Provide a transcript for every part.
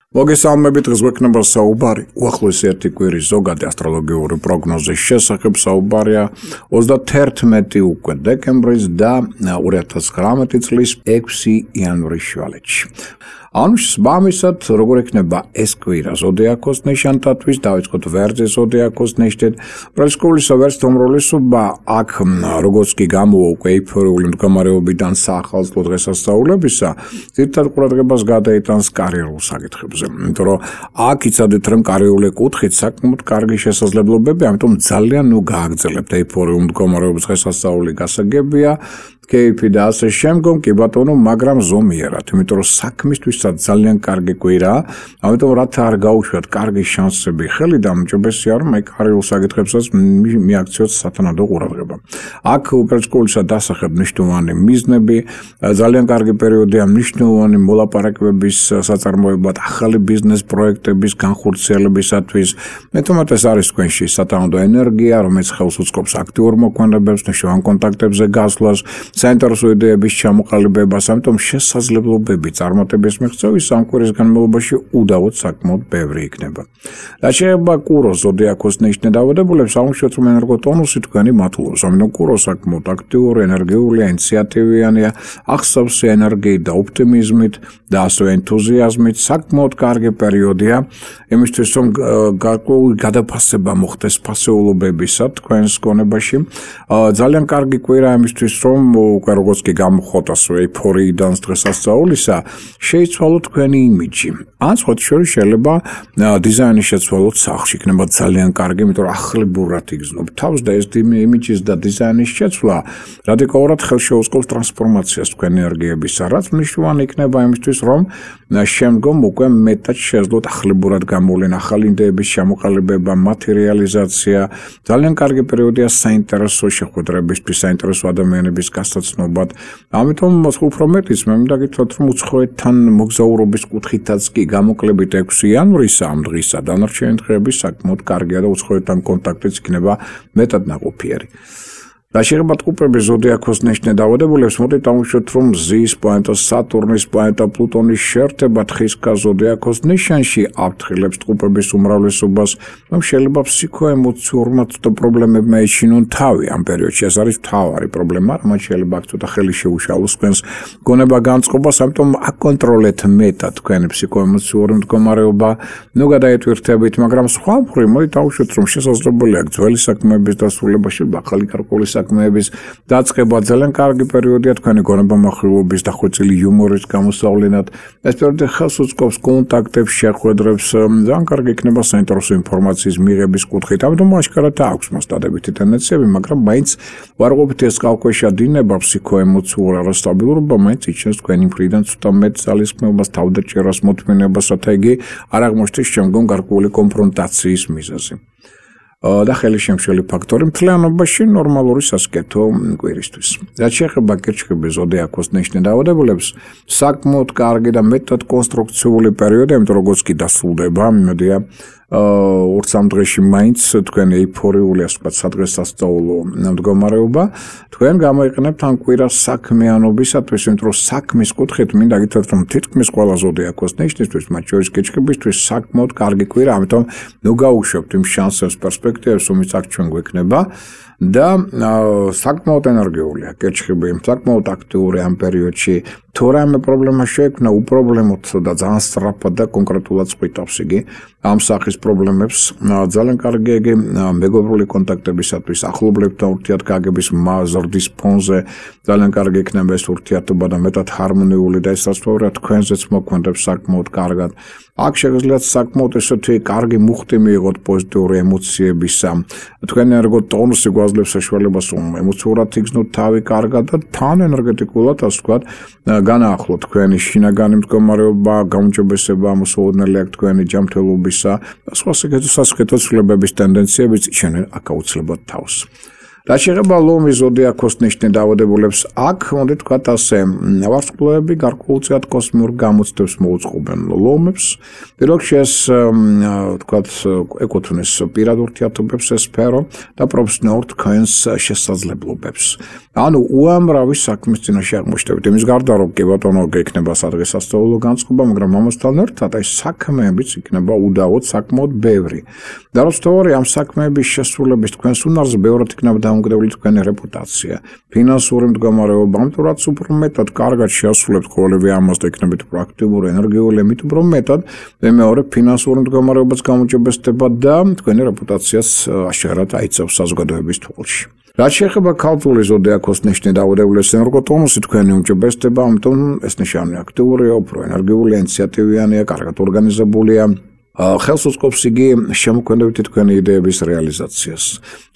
მოგესალმებით, დღეს გვექნება საუბარი უახლოესი ერთი კვირის ზოგადი ასტროლოგიური პროგნოზის შესახებ. საუბარია 31 უკვე დეკემბრის და 2019 წლის 6 იანვრის შვალეთში. Მამისად, როგორ ექნება ეს კვირა ზოდიაქოს ნიშანთათვის, დავიწყოთ ვერძის ზოდიაქოს ნიშნით. პრესკულისა ვერც თომროლისობა აქ როგორც კი გამოვა უკვე ეიფორიული მდგომარეობიდან საახალწლო დღესასწაულებისა, ძირითად ყურადღებას გადაიტანს კარიერულ საკითხებზე. იმიტომ რომ აქ იცადეთ რომ კარიერული კუთხით საკმაოდ კარგი შესაძლებლობები, ამიტომ ძალიან გააგრძელებთ ეიფორიულ მდგომარეობის დღესასწაული გასაგებია. KP და ასე შემდგომ კი ბატონო, მაგრამ ზომიერად, იმიტომ რომ საქმისთვისაც ძალიან კარგი კვირაა, ამიტომ რათა არ გაუშვათ კარგი შანსები ხელი და უმჯობესია რომ აი კარიერულ საკითხებსაც მიაქციოთ სათანადო ყურადღება. აქ უპირისპირდად დასახებ მნიშვნელოვანი მიზნები, ძალიან კარგი პერიოდია მნიშვნელოვანი მოლაპარაკებების საწარმოებლად, ახალი ბიზნეს პროექტების განხორციელებისათვის. მეტომატ ეს არის თქვენში სათანადო ენერგია, რომელიც ხელს უწყობს აქტიურ მოქმედებებს, მნიშვნელოვან კონტაქტებზე გასვლას. საინტერესო იდეების ჩამოყალიბებას, ამიტომ შესაძლებლობები წარმატების მიღწევის ამ კვირის განმავლობაში უდავოდ საკმაოდ ბევრი იქნება. რაც შეეხება კუროს ზოდიაქოს ნიშნით დაავადებულებს, აღმოჩნდეთ რომ ენერგოტონუსი თქვენი მატულობს, ამიტომ კურო საკმაოდ აქტიური, ენერგიულია, ინიციატივიანია, ახსავს ენერგიით და ოპტიმიზმით და ასევე ენთუზიაზმით, საკმაოდ კარგი პერიოდია იმისთვის რომ გარკვეული გადაფასება მოხდეს ფასეულობებისა თქვენს გონებაში. ძალიან კარგი კვირა იმისთვის რომ უკვე როგორც კი გამოხოტას ეიფორიიდან დღესასწაულისა, შეიცვალოთ თქვენი იმიჯი. ან სხვა შორის შეიძლება დიზაინის შეცვალოთ სახლში, იქნება ძალიან კარგი, იმიტომ რომ ახლებურად იგრძნობ თავს და ეს იმიჯის და დიზაინის შეცვლა რადიკალურად ხელს შეუწყობს ტრანსფორმაციას თქვენი ენერგიებისა, რაც მნიშვნელოვანი იქნება იმისთვის, რომ შემდგომ უკვე მეტად შეძლოთ ახლებურად გამოვლენ ახალი იდეების ჩამოყალიბება, მატერიალიზაცია. ძალიან კარგი პერიოდია საინტერესო შეხვედრებისთვის, საინტერესო ადამიანების გასაცნობად. ამიტომ უფრო მეტიც მე მინდა გითხრათ რომ უცხოეთთან მოგზაურობის კუთხითაც კი გამოკლებით 6 იანვრისა ამ დღისა დანარჩენი დღეები საკმაოდ კარგია და უცხოეთთან კონტაქტიც იქნება მეტად ნაყოფიერი. რაც შეეხება ტყუპების ზოდიაქოს ნიშნით დაავადებულებს, მოდით დავუშვათ რომ ზის პლანეტა, სატურნის პლანეტა, პლუტონის შეერთება თხისქა ზოდიაქოს ნიშანში აფრთხილებს ტყუპების უმრავლესობას, რომ შეიძლება ფსიქოემოციურმა პრობლემებმა ეჩინონ თავი ამ პერიოდში. ეს არის მთავარი პრობლემა, რომელიც შეიძლება აქ ცოტა ხელი შეუშალოს თქვენს გონება განწყობას, ამიტომ აკონტროლეთ მეტად თქვენი ფსიქოემოციური მდგომარეობა, გადაეტვირთებით, მაგრამ სხვა მხრივ მოდით დავუშვათ რომ შესაძლებელია ძველი საქმეების დასრულებაში ახალი გარკვეული საქმეების დაწყება. ძალიან კარგი პერიოდია თქვენი გონება-მახვილობის დახვეწილი იუმორის გამოსავლენად. ეს პერიოდი ხელს უწყობს კონტაქტებს, შეხვედრებს, ძალიან კარგი იქნება საინტერესო ინფორმაციის მიღების კუთხით. ამიტომ აშკარად აქვს მას დადებითი ტენდენციები, მაგრამ მაინც ვარყოფით ეს კალქვეშა დინება ფსიქოემოციურ არასტაბილურობა, მაინც იჩენს თქვენი მხრიდან ცოტა მეტ ძალისხმევას, თავდაჭერას, მოთმინებას, რათა იგი არ აღმოჩნდეს შემდგომ გარკვეული კონფრონტაციის მიზეზი. და ხელი შემშელი ფაქტორი მთლიანობაში ნორმალური სასკეთო კვირისთვის. რაც შეეხება კირჩხიბის ზოდიაქოს ნიშნით დაავადებულებს, საკმაოდ კარგი და მეტად კონსტრუქციული პერიოდი, იმიტომ როგორც კი დასრულდება, იმედია 2-3 დღეში მაინც თქვენ ეიფორიული ასე ვთქვათ სადღესასწაულო მდგომარეობა, თქვენ გამოიყენებთ ამ კვირას საქმიანობისათვის, იმიტომ რომ საქმის კუთხით მინდა გითხრათ რომ თითქმის ყველა ზოდიაქოს ნიშნისთვის, მათ შორის კირჩხიბისთვის საკმაოდ კარგი კვირა, ამიტომ გაუშვებთ იმ შანსებს, პერსპექტივებს, რომელიც აქ ჩვენ გვექნება. და საკმაოდ ენერგიულია კირჩხიბი, საკმაოდ აქტიური ამ პერიოდში. თუ რამე პრობლემა შეექმნა, უპრობლემოდ და ძალიან სწრაფად და კონკრეტულად წვითავს იგი ამ სახის პრობლემებს. ძალიან კარგი იგი მეგობრული კონტაქტებისათვის, ახლობლებთან ურთიერთგაგების ზრდის ფონზე ძალიან კარგი იქნება ეს ურთიერთობა და მეტად ჰარმონიული და ეს რასთვაურია თქვენზეც მოქმედებს საკმაოდ კარგად. აქ შეგიძლიათ საკმაოდ ესეთი კარგი მუხტი მიიღოთ პოზიტიური ემოციებისა. თქვენი ენერგოტონუსი გვაძლევს საშუალებას რომ ემოციურად იგრძნოთ თავი კარგად და თან ენერგეტიკულად ასე ვთქვათ განაახლოთ თქვენი შინაგანი მდგომარეობა, გაუმჯობესება, მოსაოდნელი აქ თქვენი ჯანმრთელობისა და სხვა სასკეთო ცვლილებების ტენდენციებიც იჩენენ აქ აუცილებლად თავს. რაც შეეხება ლომის ზოდიაქოს ნიშნით დაავადებულებს, აქ მოდით ვთქვათ ასე, ვარსკვლავები გარკვეულწილად კოსმიურ გამოცდებს მოუწყობენ ლომებს. პირველ რიგში ეს ვთქვათ ეკუთვნის პირად ურთიერთობებს ეს სფერო და პროფესიონალურ თქვენს შესაძლებლობებს. ანუ უამრავი საქმის წინაშე აღმოჩნდებით. იმის გარდა რომ კი ბატონო გექნება სადღესასწაულო განწყობა, მაგრამ ამასთან ერთად ეს საქმეებიც იქნება უდავოდ საკმაოდ ბევრი. და რაც თორე ამ საქმეების შესრულების თქვენს უნარზე ბევრად იქნება დამოკიდებული თქვენი რეპუტაცია. ფინანსური მდგომარეობა, ამიტომ რაც უფრო მეტად კარგად შეასრულებთ ყოველივე ამას და იქნებით პრაქტიკული, ენერგიული, მით უფრო მეტად მეორე ფინანსური მდგომარეობაც გამოჯობესდება და თქვენი რეპუტაციას აშკარად აიწევს საზოგადოების თვალში. რაც შეეხება ქალწულის ზოდიაქოს ნიშნით და უდევლის ენერგოტონუსი თქვენი უმჯობესდება, ამიტომ ეს ნიშანი აქტიურია, უფრო ენერგიული, ინიციატივიანია, კარგად ორგანიზებულია. ხელს უწყობს იგი შემოქმედებითი თქვენი იდეების რეალიზაციას.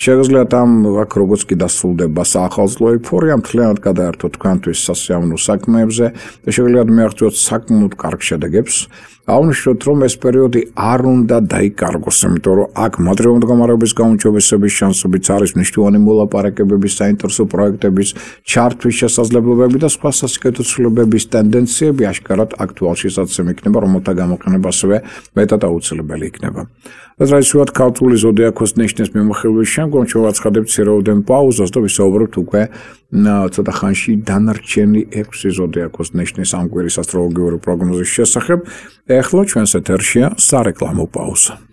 შეგიძლიათ ამ აქ როგორც კი დასრულდება საახალწლო ეიფორია, მთლიანად გადაერთოთ თქვენთვის სასიამოვნო საქმეებზე და შეგიძლიათ მიაღწიოთ საკმაოდ კარგ შედეგებს. აღნიშნოთ, რომ ეს პერიოდი არ უნდა დაიკარგოს, იმიტომ რომ აქ მატერიალური მდგომარეობის გაუმჯობესების შანსებიც არის, მნიშვნელოვანი მოლაპარაკებების, საინტერესო პროექტების ჩართვის შესაძლებლობები და სხვა სასიკეთო ცვლილებების ტენდენციები აშკარად აქტუალში საცემ იქნება, რომელთა გამოყენება ასევე მეტად აუცილებელი იქნება. Разраისუათ ქალწულის ზოდიაქოს ნიშნის მიმოხილვის შემდგომ შევაცხადებთ ცირეოდენ პაუზას და ვისაუბრებთ უკვე ცოტა ხანში დანარჩენი 6 ზოდიაქოს ნიშნის ამ კვირის ასტროლოგიური პროგნოზის შესახებ. ეხლა ჩვენს ეთერშია სარეკლამო პაუზა.